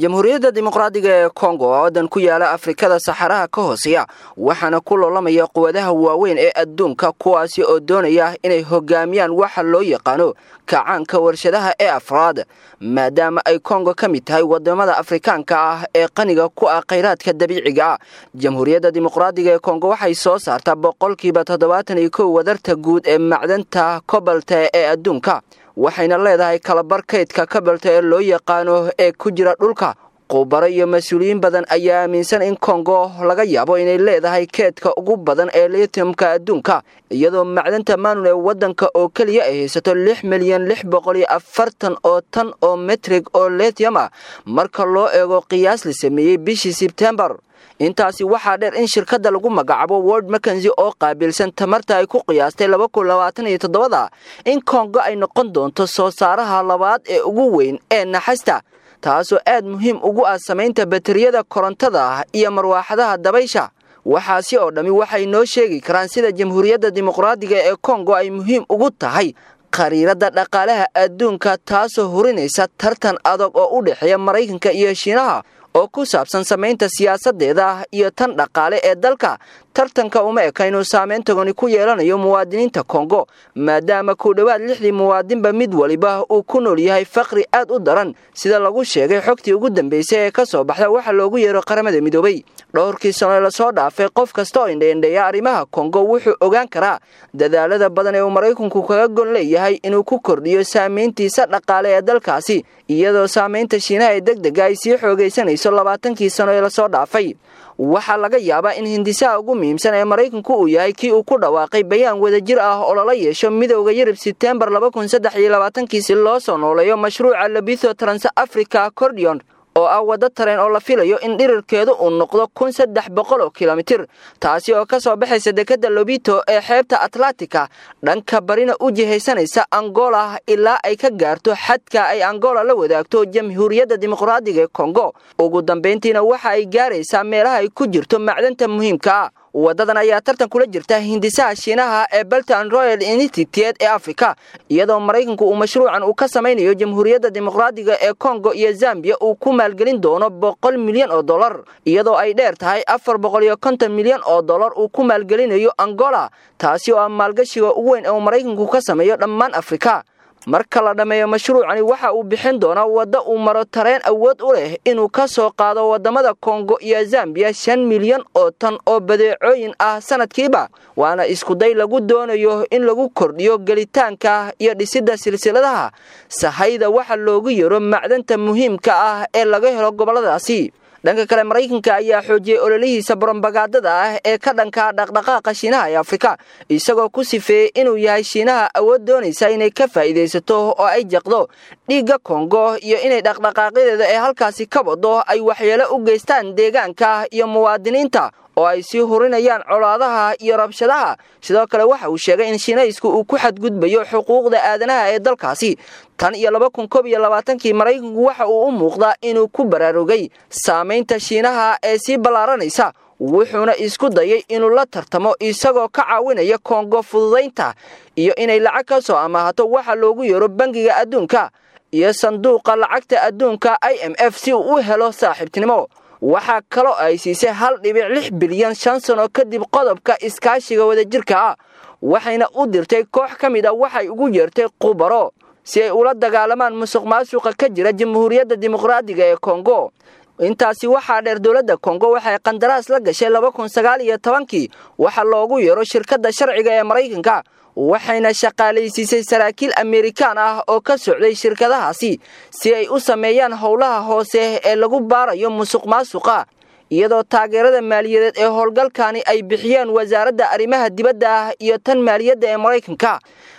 Jamhuuriyadda Dimuqraadiga ee Kongo oo waddan ku yaala Afrikada saxaraha ka hooseeya, waxaana ku loolamaya quwadaha waaweyn ee adduunka, kuwaasi oo doonaya inay hogaamiyaan waxa loo yaqaano kacaanka warshadaha ee afraad. Maadaama ay Kongo ka mid tahay wadamada Afrikaanka ah ee qaniga ku ah khayraadka dabiiciga ah, Jamhuuriyadda Dimuqraadiga ee Kongo waxay soo saartaa 71% wadarta guud ee macdanta kobalta ee adduunka, waxayna leedahay kalabar kaydka kabalta ee loo yaqaano ee ku jira dhulka. Khubaro iyo mas-uuliyiin badan ayaa aaminsan in Kongo laga yaabo inay leedahay keedka ugu badan ee lithiumka adduunka, iyadoo macdanta maanun ee waddanka oo keliya ay haysato 6,000,640 oo tan oo metrig oo lithium ah marka loo eego qiyaas la sameeyey bishii Sebtembar. Intaasi waxaa dheer in shirkadda lagu magacaabo World Mackenzie oo qaabilsan tamarta ay ku qiyaastay 2027-da in Kongo ay noqon doonto soo saaraha labaad ee ugu weyn ee naxasta, taasoo aad muhiim ugu ah samaynta bateriyada korontada iyo marwaaxadaha dabaysha. Waxaasi oo dhammi waxay noo sheegi karaan sida Jamhuuriyadda Dimuqraadiga ee Kongo ay muhiim ugu tahay khariiradda dhaqaalaha adduunka, taasoo hurinaysa tartan adag oo u dhexeeya Maraykanka iyo Shiinaha oo ku saabsan samaynta siyaasadeeda iyo tan dhaqaale ee dalka. Tartanka uma eka inuu saameyn togani ku yeelanayo muwaadiniinta Kongo, maadaama ku dhowaad lixdii muwaadinba mid waliba uu ku nool yahay faqri aad u daran, sida lagu sheegay xogtii ugu dambeysay ee ka soo baxda waxa loogu yeero Qaramada Midoobay. Dhowrkii sano ee lasoo dhaafay, qof kasta oo indheindheeya arrimaha Kongo wuxuu ogaan karaa dadaalada badan ee uu Maraykanku kaga gon leeyahay inuu ku kordhiyo saameyntiisa dhaqaale ee dalkaasi, iyadoo saameynta Shiinaha ee deg dega ay sii xoogaysanayso 20-kii sano ee lasoo dhaafay. Waxaa laga yaabaa in hindisaha ugu muhiimsan ee Maraykanku uu yahay kii uu ku dhawaaqay bayaan wadajir ah oo lala yeesho Midowda Yurub Sebtembar 2023-kii si loo soo nooleeyo mashruuca Lobito Trans Africa Cordion, oo ah waddo tareen oo la filayo in dhirirkeedu uu noqdo 1300 oo kilomitir, taasi oo ka soo baxaysa dekadda Lobito ee xeebta Atlantica, dhanka barina u jihaysanaysa Angola ilaa ay ka gaarto xadka ay Angola la wadaagto Jamhuuriyadda Dimuqraadiga ee Kongo. Ugu dambayntiina waxa ay gaaraysaa meelaha ay ku jirto macdanta muhiimka ah. Wadadan ayaa tartan kula jirta hindisaha Shiinaha ee Belt and Royal Initiative ee Africa, iyadoo Maraykanku uu mashruucan uu ka samaynayo Jamhuuriyadda Dimuqraadiga ee Kongo iyo Zambia uu ku maalgelin doono 100 milyan oo dollar, iyadoo ay dheer tahay 450 milyan oo dollar uu ku maalgelinayo Angola, taasi oo ah maalgashiga ugu weyn ee uu Maraykanku ka sameeyo dhammaan Afrika. Marka la dhammeeyo mashruucani, waxa uu bixin doonaa waddo uu maro tareen awood u leh inuu ka soo qaado waddamada Kongo iyo Zambiya 5 milyan oo tan oo badeecooyin ah sanadkiiba, waana iskuday lagu doonayo in lagu kordhiyo gelitaanka iyo dhisidda silsiladaha sahayda waxa loogu yeero macdanta muhiimka ah ee laga helo gobolladaasi. Dhanka kale, Maraykanka ayaa xoojiyey ololihiisa borobagaadada ah ee ka dhanka dhaqdhaqaaqa Shiinaha ee Afrika, isagoo ku sifeeyey inuu yahay Shiinaha awood doonaysa inay ka faa'iidaysato oo ay jaqdo dhiigga Kongo, iyo inay dhaqdhaqaaqyadeeda ee halkaasi ka wado ay waxyeelo u geystaan deegaanka iyo muwaadiniinta, oo ay sii hurinayaan colaadaha iyo rabshadaha. Sidoo kale waxa uu sheegay in Shiinaysku uu ku xadgudbayo xuquuqda aadanaha ee dalkaasi. Tan iyo 2021-kii, Maraykanku waxa uu u muuqdaa inuu ku baraarugay saamaynta Shiinaha ee sii ballaaranaysa, wuxuuna isku dayay inuu la tartamo, isagoo ka caawinaya Kongo fududaynta iyo inay lacag ka soo amaahato waxa loogu yeero Bangiga Adduunka iyo Sanduuqa Lacagta Adduunka IMF si uu u helo saaxiibtinimo. Waxaa kaloo ay siisay 1.6 bilyan 5 sano kadib qodobka iskaashiga wadajirka ah, waxayna u dirtay koox ka mid a waxay ugu yeertay khubaro si ay ula dagaalamaan musuq maasuqa ka jira Jamhuuriyadda Dimuqraadiga ee Kongo. Intaasi waxaa dheer, dowladda Kongo waxay qandaraas la gashay 2019-kii waxa loogu yeero shirkadda sharciga ee Maraykanka, waxayna shaqaalaysiisay saraakiil Amerikaan ah oo ka socday shirkadahaasi si ay u sameeyaan howlaha hoose ee lagu baarayo musuq maasuqa, iyadoo taageerada maaliyadeed ee howlgalkani ay bixiyeen wasaaradda arrimaha dibadda iyo tan maaliyadda ee Maraykanka.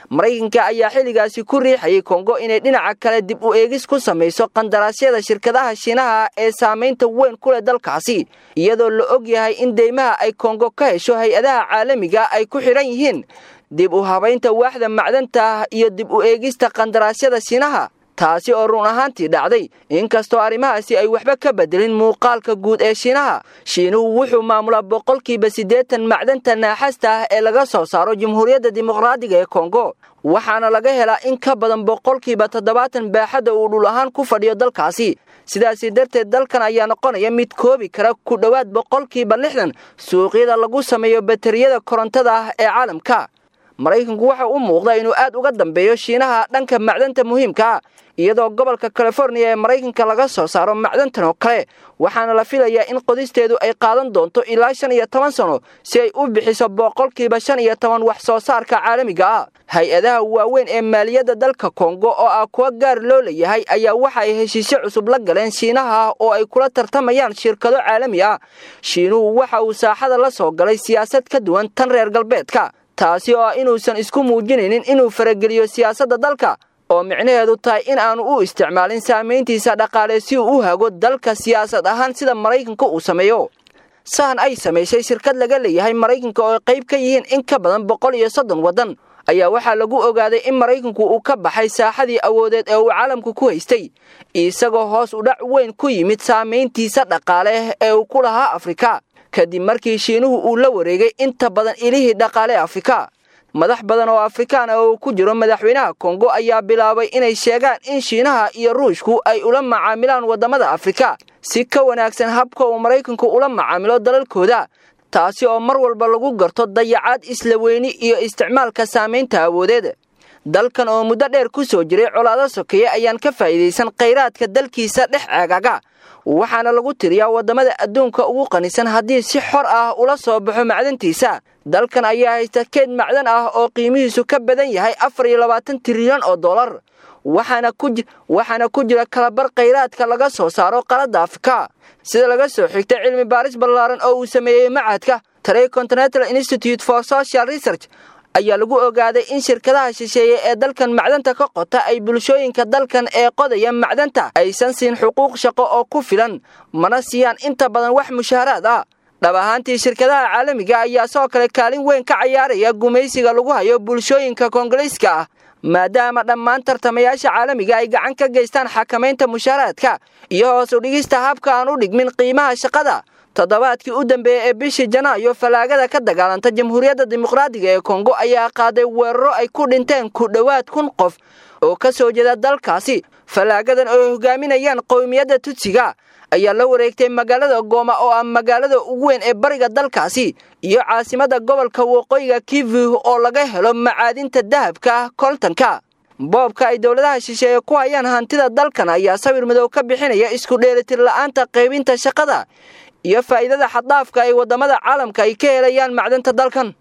Maraykanka ayaa xilligaasi ku riixayay Kongo inay dhinaca kale dib u eegis ku samayso qandaraasyada shirkadaha Shiinaha ee saamaynta weyn ku leh dalkaasi, iyadoo la og yahay in deymaha ay Kongo ka hesho hay-adaha caalamiga ay ku xidhan yihiin dib u habaynta waaxda macdanta iyo dib u eegista qandaraasyada Shiinaha. Taasi oo run ahaantii dhacday, inkastoo arrimahaasi ay waxba ka bedelin muuqaalka guud ee Shiinaha. Shiinuhu wuxuu maamulaa 80% macdanta naaxasta ah ee laga soo saaro Jamhuuriyadda Dimuqraadiga ee Kongo, waxaana laga helaa in ka badan 70% baaxadda uu dhul ahaan ku fadhiyo dalkaasi. Sidaasi darteed dalkan ayaa noqonaya mid koobi kara ku dhowaad 60% suuqyada lagu sameeyo bateriyada korontada ah ee caalamka. Maraykanku waxa u muuqda inuu aad uga dambeeyo Shiinaha dhanka macdanta muhiimka ah, iyadoo gobolka California ee Maraykanka laga soo saaro macdantan oo kale, waxaana la filayaa in qodisteedu ay qaadan doonto ilaa 15 sano si ay u bixiso 15% wax soo saarka caalamiga ah. Hay-adaha waaweyn ee maaliyadda dalka Kongo oo ah kuwa gaar loo leeyahay ayaa waxa ay heshiisyo cusub la galeen Shiinaha oo ay kula tartamayaan shirkado caalami ah. Shiinuhu waxa uu saaxada la soo galay siyaasad ka duwan tan reer galbeedka, taasi oo ah inuusan isku muujinaynin inuu farageliyo siyaasadda dalka, oo micnaheedu tahay in aanu u isticmaalin saamayntiisa dhaqaale si uu u hago dalka siyaasad ahaan sida Maraykanka uu sameeyo. Sahan ay samaysay shirkad laga leeyahay Maraykanka oo qayb ka yihiin in ka badan 130 waddan ayaa waxaa lagu ogaaday in Maraykanku uu ka baxay saaxadii awoodeed ee uu caalamku ku haystay, isagoo hoos u dhac weyn ku yimid saamayntiisa dhaqaale ee uu ku lahaa Afrika, kadib markii Shiinuhu uu la wareegay inta badan ilihii dhaqaale Afrika. Madax badan oo Afrikaan ah oo ku jiro madaxweynaha Kongo ayaa bilaabay inay sheegaan in Shiinaha iyo Ruushku ay ula macaamilaan waddamada Afrika si ka wanaagsan habka uu Maraykanku ula macaamilo dalalkooda, taasi oo mar walba lagu garto dayacaad, isla weyni iyo isticmaalka saamaynta awoodeed. Dalkan oo muddo dheer ku soo jiray colaado sokeeye ayaan ka faa'iidaysan khayraadka dalkiisa dhex ceegaga, waxaana lagu tiriyaa waddamada adduunka ugu qanisan haddii si xor ah ula soo baxo macdantiisa. Dalkan ayaa haysta keyd macdan ah oo qiimihiisu ka badan yahay 24 trilyan oo dollar, waxaana ku jira kalabar khayraadka laga soo saaro qaladda Afrika. Sida laga soo xigtay cilmi baaris ballaaran oo uu sameeyey machadka Tricontinental Institute for Social Research ayaa lagu ogaaday in shirkadaha shisheeye ee dalkan macdanta ka qota ay bulshooyinka dalkan ee qodaya macdanta aysan siin xuquuq shaqo oo ku filan, mana siiyaan inta badan wax mushaaraad ah. Dhab ahaantii shirkadaha caalamiga ayaa sidoo kale kaalin weyn ka cayaaraya gumaysiga lagu hayo bulshooyinka Koongoliiska ah, maadaama dhammaan tartamayaasha caalamiga ay gacan ka geystaan xakamaynta mushaaraadka iyo hoos u dhigista habka aan u dhigmin qiimaha shaqada. Toddobaadkii u dambeeyey ee bishii Janaayo, falaagada ka dagaalanta Jamhuuriyadda Dimuqraadiga ee Kongo ayaa qaaday weeraro ay ku dhinteen ku dhowaad 1000 qof oo ka soo jeeda dalkaasi. Falaagadan oo hogaaminayaan qowmiyadda Tutsiga ayaa la wareegtay magaalada Gooma oo ah magaalada ugu weyn ee bariga dalkaasi iyo caasimadda gobolka waqooyiga Kivu oo laga helo macaadinta dahabka koltanka. Boobka ay dowladaha shisheeye ku hayaan hantida dalkan ayaa sawir madow ka bixinaya isku dheelitir la'aanta qaybinta shaqada iyo faa'iidada xad-dhaafka ay waddamada caalamka ay ka helayaan macdanta dalkan.